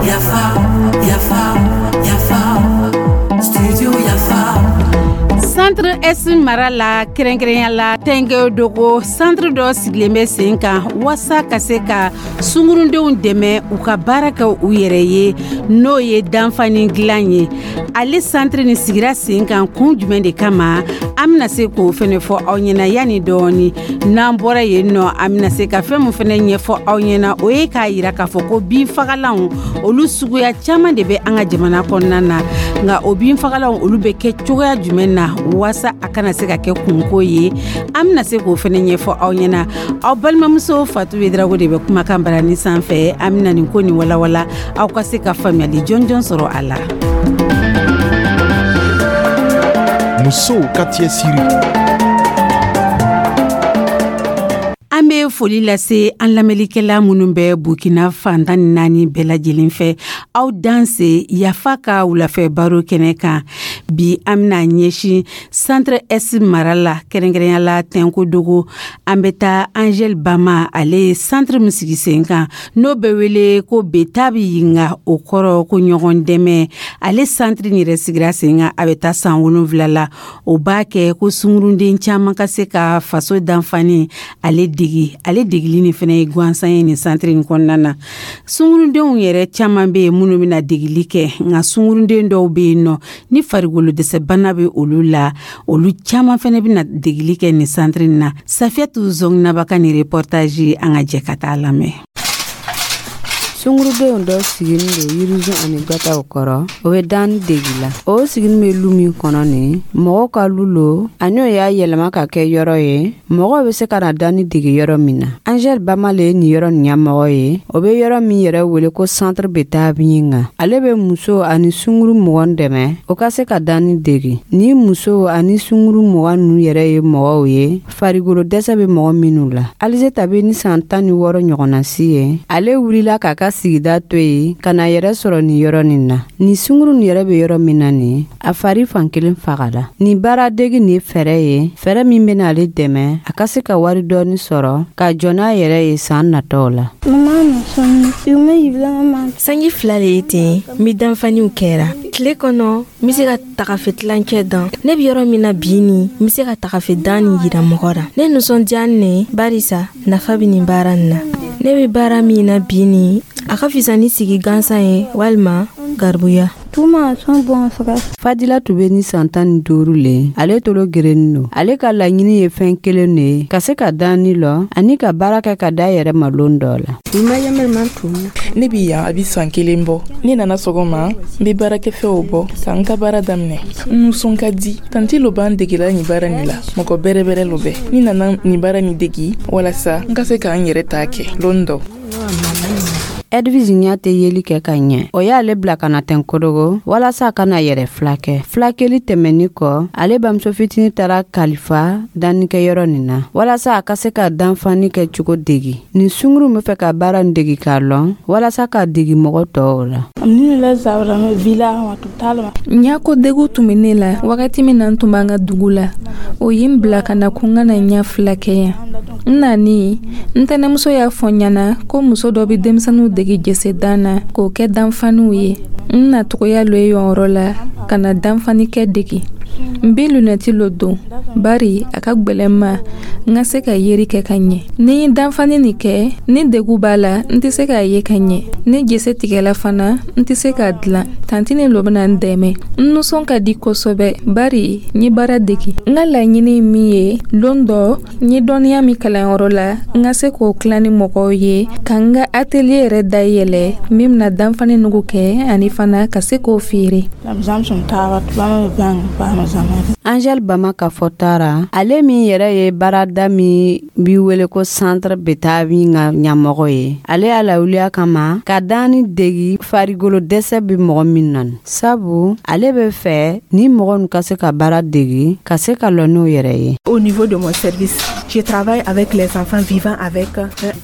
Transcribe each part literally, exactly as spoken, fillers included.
Yafa, yafa, yafa, studio Yafa. Centre Est mara la, kɛrɛnkɛrɛnya la Tɛnkɛdogo, centre dɔ sigilen bɛ sen kan waasa ka se ka sungurundenw dɛmɛ u ka baara kɛ u yɛrɛ ye, n'o ye danfani dilan ye. Ale centre nin sigira sen kan kun jumɛn de kama? An bɛna se k'o fɛnɛ fɔ aw ɲɛna yanni dɔɔni. N'an bɔra yen nɔ, an bɛna se ka fɛn min fɛnɛ ɲɛfɔ aw ɲɛna, o ye k'a yira k'a fɔ ko binfagalanw, olu suguya caman de bɛ an ka jamana kɔnɔna na. Nka o binfagalanw, olu bɛ kɛ cogoya jumɛn na waasa a kana se ka kɛ kunko ye? An bɛna se k'o fɛnɛ ɲɛfɔ aw ɲɛna. Aw balimamuso Fatu Wedrago de bɛ kumakan barani sanfɛ. An bɛna nin ko nin walawala, aw ka se ka faamuyali jɔnjɔn sɔrɔ a la. Musow ka cɛsiri. An bɛ foli lase an lamɛnlikɛla minnu bɛ Burkina fantan ni naani bɛɛ lajɛlen fɛ. Aw danse Yafa ka wulafɛ baro kɛnɛ kan. Bi, an bɛna ɲɛsin Centre Est mara la, kɛrɛnkɛrɛnya la Tɛnkodogo. An bɛ taa Angel Bama, ale ye centre min sigi sen kan, n'o bɛ wele ko Betabi Yinga, o kɔrɔ ko ɲɔgɔn dɛmɛ. Ale centre in yɛrɛ sigira sen kan, a bɛ taa san wolonwula la. O b'a kɛ ko sungurunden caman ka se ka faso danfani ale degi. Ale degili nin fana ye gansan ye nin centre in kɔnɔna na. Sungurudenw yɛrɛ caman bɛ yen minnu bɛna degili kɛ, nka sungurunden dɔw bɛ yen nɔ ni farikolo dɛsɛbana bɛ olu la, olu caman fana bɛna degili kɛ nin centre in na. Safiyatu Zɔnginaba ka nin reportage, an ka jɛ ka taa lamɛn. Sungurudenw dɔ siginin don yirisun ani gwataw kɔrɔ, o bɛ danni degi la. O siginin bɛ lu min kɔnɔ nin, mɔgɔw ka lu lo, ani o y'a yɛlɛma ka kɛ yɔrɔ ye mɔgɔw bɛ se ka na danni dege yɔrɔ min na. Angel Bama le ye nin yɔrɔ nin ɲɛmɔgɔ ye. O bɛ yɔrɔ min yɛrɛ wele ko Centre Betabi Yinga. Ale bɛ muso ani sunguru mugan dɛmɛ o ka se ka danni dege. Ni muso ani sunguru mugan ninnu yɛrɛ ye mɔgɔw ye farikolo dɛsɛ bɛ mɔgɔ minnu la. Alizeta bɛ ni san tan ni wɔɔrɔ ɲɔgɔnna si ye. Ale wulila k'a ka sigida to yen ka na yɛrɛ sɔrɔ nin yɔrɔ nin na. Nin sunguru nin yɛrɛ bɛ yɔrɔ min na nin, a fari fan kelen fagala. Nin baaradegi nin ye fɛɛrɛ ye, fɛɛrɛ min bɛna ale dɛmɛ a ka se ka wari dɔɔni sɔrɔ ka jɔ n'a yɛrɛ ye san nataw la. Sanji fila de ye ten, n bɛ danfaniw kɛra. Tile kɔnɔ, n bɛ se ka tagafe tilancɛ dan. Ne bɛ yɔrɔ min na bi ni, n bɛ se ka tagafe dan nin yira mɔgɔ la. Ne nisɔndiya ne barisa nafa bɛ nin baara nin na. Ne bɛ baara min na bi ni, a ka fisa ni sigi gansan ye walima garibuya. Fadila tun bɛ ni san tan ni duuru le. Ale tolo gerenin don. Ale ka laɲini ye fɛn kelen de ye, ka se ka danni lɔ ani ka baara kɛ ka da yɛrɛ ma lon dɔ la. Ne bi yan, a bi san kelen bɔ. Ne nana sɔgɔma, n be baarakɛfɛnw bɔ ka n ka baara daminɛ. N nisɔn ka di. Tanti lo b'an degela nin baara nin la, mɔgɔ bɛrɛbɛrɛ lo bɛ. Ni nana nin baara nin degi walasa n ka se k'an yɛrɛ ta kɛ lon dɔ. Edwige ɲɛ tɛ yeli kɛ ka ɲɛ. O y'ale bila ka na Tɛnkodogo walasa a ka na yɛrɛ filakɛ. Filakɛli tɛmɛni kɔ, ale bamuso fitini taara kalifa dannikɛyɔrɔ nin na walasa a ka se ka danfani kɛ cogo degi. Nin sunguru bɛ fɛ ka baara nin degi k'a lɔn walasa ka degi mɔgɔ tɔw la. Ɲako degu tun bɛ ne la wagati min na n tun b'an ka dugu la. O ye n bila ka na ko n ka na ɲɛ fila kɛ yan. N nani, n tɛnɛmuso y'a fɔ n ɲɛna ko muso dɔ bɛ denmisɛnninw dege jesedan na k'o kɛ danfaniw ye. N nacogoya lo ye yɔrɔ la ka na danfanikɛ dege. N bɛ lunɛti lo don bari a ka gwɛlɛn ma n ka se ka yeri kɛ ka ɲɛ. Ni n ye danfani nin kɛ ni degu b'a la, n tɛ se k'a ye ka ɲɛ. Ni jese tigɛla fana, n tɛ se k'a dilan. Tantini lo bɛna n dɛmɛ. N nisɔn ka di kosɛbɛ bari n ye baara degi. N ka laɲini ye min ye, lon dɔ n ye dɔnniya min kalanyɔrɔ la, n ka se k'o tilan ni mɔgɔw ye, ka n ka atelier yɛrɛ dayɛlɛ min bɛna danfani nugu kɛ, ani fana ka se k'o feere. Angel Bama ka fɔta ra, ale min yɛrɛ ye baarada min bi wele ko Centre Betabi ka ɲɛmɔgɔ ye, ale y'a lawuliya kama ka danni degi farikolo dɛsɛ bɛ mɔgɔ min na, sabu ale bɛ fɛ ni mɔgɔ nin ka se ka baara degi ka se ka lɔ n'o yɛrɛ ye. Au niveau de mon service, je travaille avec les enfants vivant avec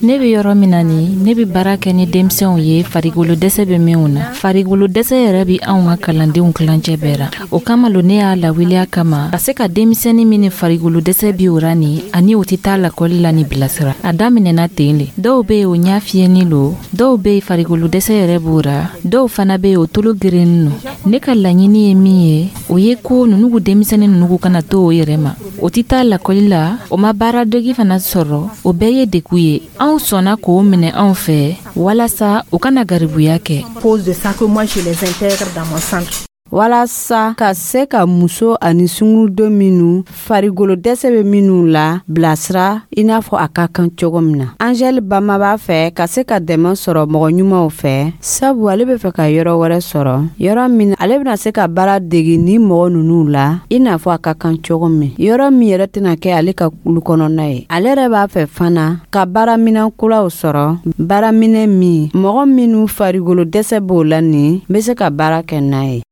Ne bɛ yɔrɔ min na nin, ne bɛ baara kɛ ni denmisɛnw ye farikolo dɛsɛ bɛ minw na. Farikolo dɛsɛ yɛrɛ bɛ anw ka kalandenw kilancɛ bɛɛ ra. O kama lo ne y'a lawuli. lawuliya kama ka se ka denmisɛnnin min ni farikolo dɛsɛ bi o ra ni ani o tɛ taa lakɔli la ni bilasira. A daminɛna ten le. Dɔw be yen, o ɲa fiyɛni lo, dɔw be yen, farikolo dɛsɛ yɛrɛ b'o ra, dɔw fana be yen, o tolo gerennin no. Ne ka laɲini ye min ye, o ye ko nunugu denmisɛnnin nunugu kana to o yɛrɛ ma, o tɛ taa lakɔli la, o ma baaradegi fana sɔrɔ. O bɛɛ ye degun ye. Anw sɔnna k'o minɛ anw fɛ walasa u kana garibuya kɛ. Cause de ça que moi je les intègre dans mon centre. Walasa ka se ka muso ani sunguruden minnu farigolo dɛsɛ bɛ minnu la bilasira i n'a fɔ a ka kan cogo min na, Angɛli Bama b'a fɛ ka se ka dɛmɛ sɔrɔ mɔgɔ ɲumanw fɛ, sabu ale bɛ fɛ ka yɔrɔ wɛrɛ sɔrɔ, yɔrɔ min ale bɛna se ka baara degi ni mɔgɔ ninnu la i n'a fɔ a ka kan cogo min, yɔrɔ min yɛrɛ tɛna kɛ ale ka kulu kɔnɔna ye. Ale yɛrɛ b'a fɛ fana ka baaraminɛn kuraw sɔrɔ, baaraminɛ min mɔgɔ minnu farigolo dɛsɛ b'o la nin bɛ se ka baara kɛ n'a ye.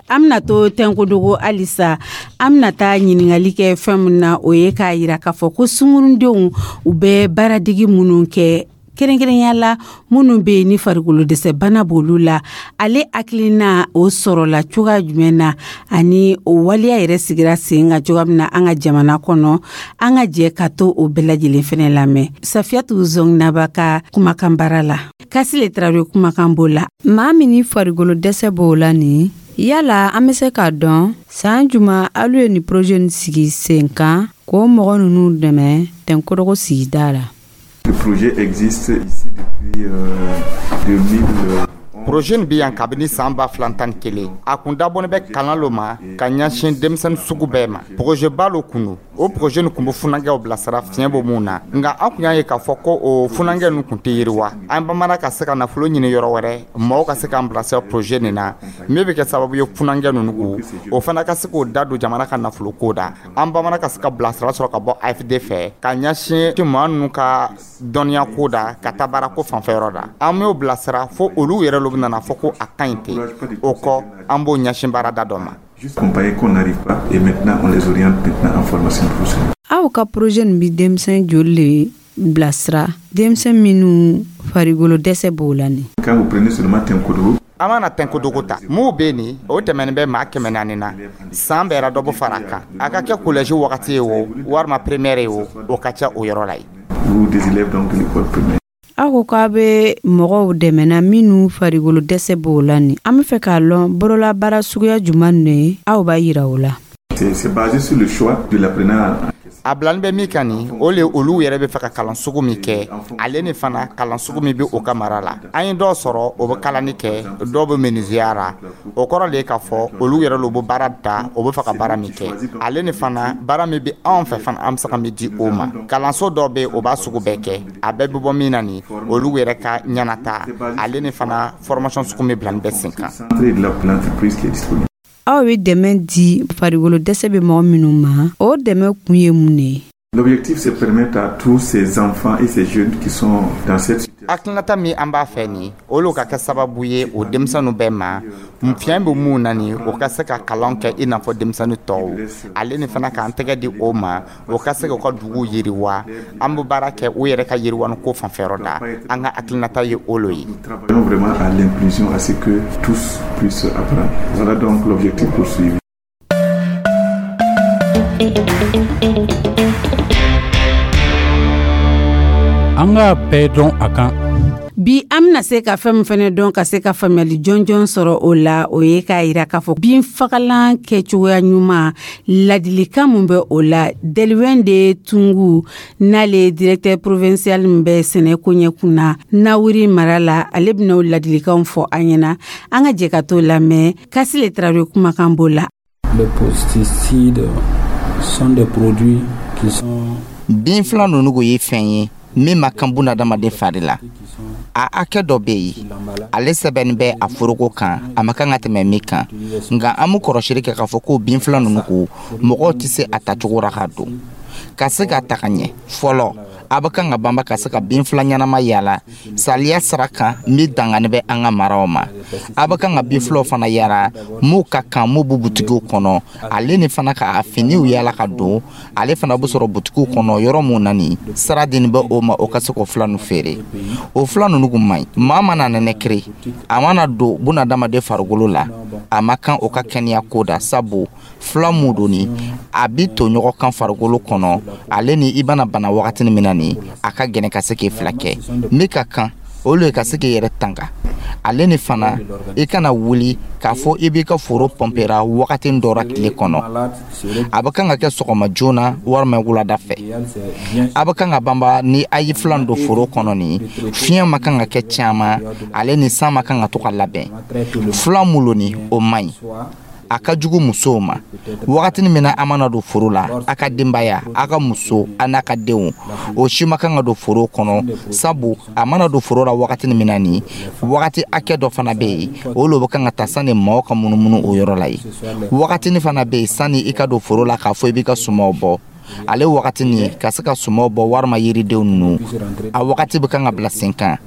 An bɛna to Tɛnkodogo halisa. An bɛna taa ɲininkali kɛ fɛn min na, o ye k'a yira k'a fɔ ko sunkurundenw, u bɛ baaradigi minnu kɛ, kɛrɛnkɛrɛnya la minnu bɛ yen ni farikolo dɛsɛ bana b'olu la, ale hakilina o sɔrɔla cogoya jumɛn na, ani o waleya yɛrɛ sigira sen kan cogoya min na an ka jamana kɔnɔ? An ka jɛ ka to o bɛɛ lajɛlen fɛnɛ lamɛn Safiyatu Zɔnginaba ka kumakan baara la. Kasile Tarawele kumakan b'o la. Maa min ni farikolo dɛsɛ b'o la nin, yala an bɛ se k'a dɔn san juma alu ye nin projet nin sigi sen kan k'o mɔgɔ ninnu dɛmɛ Tɛnkorogo sigida la? Le projet existe ici depuis euh, deux mille. Projet nin bɛ yan kabini san ba fila tan ni kelen. A kun dabɔnen bɛ kalan lo ma ka ɲɛsin denmisɛnnin sugu bɛɛ ma. Projet ba lo kun don. O projet nin kun bɛ funankɛw bilasira fiɲɛ bɔ mun na, nka an kun y'a ye k'a fɔ ko o funankɛ ninnu kun tɛ yiriwa. An bamana ka se ka nafolo ɲini yɔrɔ wɛrɛ, maaw ka se k'an bilasira projet nin na min bɛ kɛ sababu ye funankɛ ninnu ko o fana ka se k'o da don jamana ka nafolo ko da. An bamana ka se ka bilasira sɔrɔ ka bɔ A F D fɛ ka ɲɛsin maa ninnu ka dɔnniya ko da ka taa baara ko fanfɛyɔrɔ da. An m'o bilasira fo olu yɛrɛ lo nana fɔ ko a ka ɲi ten. O kɔ, an b'o ɲɛsin baarada dɔ ma. Accompagner qu'on n'arrive pas et maintenant on les oriente maintenant en formation professionnelle. Aw ka projet nin bi denmisɛn joli le bilasira, denmisɛn minnu farikolo dɛsɛ b'o la nin? Quand vous prenez seulement Tenkodogo, An mana Tɛnkodogo ta, mun bɛ nin o tɛmɛnen bɛ maa kɛmɛ naani na. San bɛɛra dɔ bɛ fara a kan, a ka kɛ collège wagati ye o, walima primaire ye o, o ka ca o yɔrɔ la yen. Ou des élèves donc de l'école primaire. Aw ko k'a bɛ mɔgɔw dɛmɛna minnu farikolo dɛsɛ b'o la nin, an bɛ fɛ k'a lɔn bololabaara suguya jumɛn de aw b'a yira o la? C'est c'est basé sur le choix de l'apprenant. A bilani bɛ min kan nin, o le olu yɛrɛ bɛ fɛ ka kalan sugu min kɛ, ale ni fana kalan sugu min bɛ o ka mara la. An ye dɔw sɔrɔ, o bɛ kalani kɛ, dɔw bɛ menuisier ra. O kɔrɔ de ye k'a fɔ olu yɛrɛ lo bɛ baara ta, o bɛ fɛ ka baara min kɛ, ale ni fana baara min bɛ anw fɛ fana, an bɛ se ka min di o ma. Kalanso dɔw bɛ yen, o b'a sugu bɛɛ kɛ. A bɛɛ bɛ bɔ min na nin, olu yɛrɛ ka ɲɛnata, ale ni fana formation sugu min bilani bɛ sen kan. Centre de la- de l'entreprise qui est disponible. Aw bɛ dɛmɛ di farikolo dɛsɛ bɛ mɔgɔ minnu ma, o dɛmɛ kun ye mun de ye? L'objectif, c'est permettre à tous ces enfants et ces jeunes qui sont dans cette situation Hakilinata min an b'a fɛ nin, olu ka kɛ sababu ye o denmisɛnninw bɛɛ ma, fiɲɛ bɛ mun na nin, o ka se ka kalan kɛ i n'a fɔ denmisɛnnin tɔw, ale ni fana k'an tɛgɛ di o ma, o ka se k'u ka dugu yiriwa. An bɛ baara kɛ u yɛrɛ ka yiriwani ko fanfɛyɔrɔ da. An ka hakilinata ye o lo ye. Nous travaillons vraiment à l'inclusion, à ce que tous puissent apprendre. Voilà donc l'objectif poursuivi. An k'a bɛɛ dɔn a kan. Bi, an bɛna se ka fɛn min fɛnɛ dɔn, ka se ka faamuyali jɔnjɔn sɔrɔ o la, o ye k'a yira k'a fɔ binfagalan kɛcogoya ɲuman, ladilikan mun bɛ o la. Deliwɛn de Tungu, n'ale ye directeur provincial min bɛ sɛnɛ koɲɛ kunna Nawuri mara la, ale bɛna o ladilikanw fɔ an ɲɛna. An ka jɛ ka t'o lamɛn. Kasile Tarawele kumakan b'o la. Les pesticides sont des produits qui sont Bin fila ninnu ye fɛn ye min ma kan bunadamaden fari la. A hakɛ dɔ bɛ yen, ale sɛbɛnni bɛ a foroko kan, a ma kan ka tɛmɛ min kan. Nka an bɛ kɔlɔsili kɛ k'a fɔ ko bin fila ninnu ko mɔgɔw tɛ se a tacogo ra ka don ka se k'a ta ka ɲɛ fɔlɔ. A bɛ kan ka banba ka se ka bin fila ɲɛnama yala saliya sira kan min dangani bɛ an ka maraw ma. A bɛ kan ka bin filaw fana yala m'u ka kan m'u bɛ butigiw kɔnɔ, ale ni fana ka finiw yala ka don, ale fana bɛ sɔrɔ butigiw kɔnɔ yɔrɔ mun na nin sira dini bɛ o ma, o ka se k'o fila ninnu feere. O fila ninnu kun man ɲi. Maa mana nɛnɛkiri, a mana don bunadamaden farikolo la, a ma kan o ka kɛnɛya ko da, sabu fila mun don ni a bi to ɲɔgɔn kan farikolo kɔnɔ, ale ni i bɛna bana wagatinin min na nin, a ka gɛlɛn ka se k'i fila kɛ. Min ka kan, o le ka se k'i yɛrɛ tanga, ale ni fana i kana wuli k'a fɔ i b'i ka foro pɔnpera wagati dɔ la tile kɔnɔ. A bɛ kan ka kɛ sɔgɔma joona walima wulada fɛ. A bɛ kan ka banba ni a ye filan don foro kɔnɔ nin, fiɲɛ ma kan ka kɛ caman, ale ni san ma kan ka to ka labɛn. Filan mun ni o man ɲi, a ka jugu musow ma. Wagatinin min na a mana don foro la, a ka denbaya, a ka muso a n'a ka denw, o si ma kan ka don foro kɔnɔ, sabu a mana don foro la wagatinin min na nin, wagati hakɛ dɔ fana bɛ yen, o lo bɛ kan ka ta sani maaw ka munumunu o yɔrɔ la yen. Wagatinin fana bɛ yen sani i ka don foro la k'a fɔ i b'i ka sumaw bɔ, ale wagati nin ka se ka sumaw bɔ walima yiridenw ninnu, a wagati bɛ kan ka bila sen kan.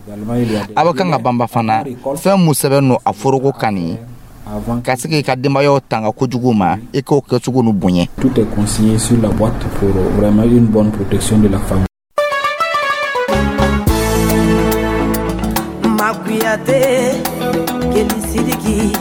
A bɛ kan ka banba fana fɛn mun sɛbɛn don a foroko kan nin, ka se k'i ka denbayaw tanga kojugu ma, i k'o kɛcogo nu bonya. Tout est consigné sur la boîte pour vraiment une bonne protection de la famille. Makuyate, Kelly Sidiki,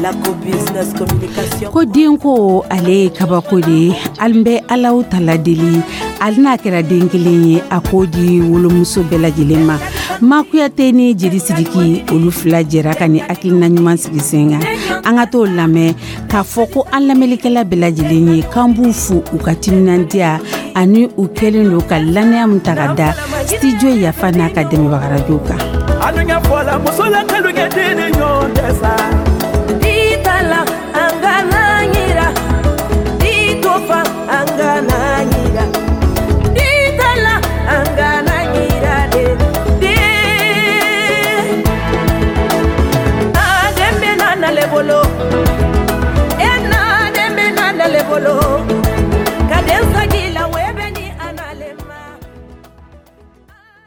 la co-business communication. Ko denko ale ye kabako de ye. An bɛ Alaw tala deli, hali n'a kɛra den kelen ye, a k'o di wolomuso bɛɛ lajɛlen ma. Makuyate ni Jeli Sidiki, olu fila jɛra ka ni hakilina ɲuman sigi sen kan. An ka t'o lamɛn k'a fɔ ko an lamɛnlikɛla bɛɛ lajɛlen ye, k'an b'u fo u ka timinandiya ani u kɛlen don ka lannaya min ta ka da Studio Yafa n'a ka dɛmɛbagarajow kan. Alunya fɔla muso la kalunya den ni ɲɔgɔn tɛ sa.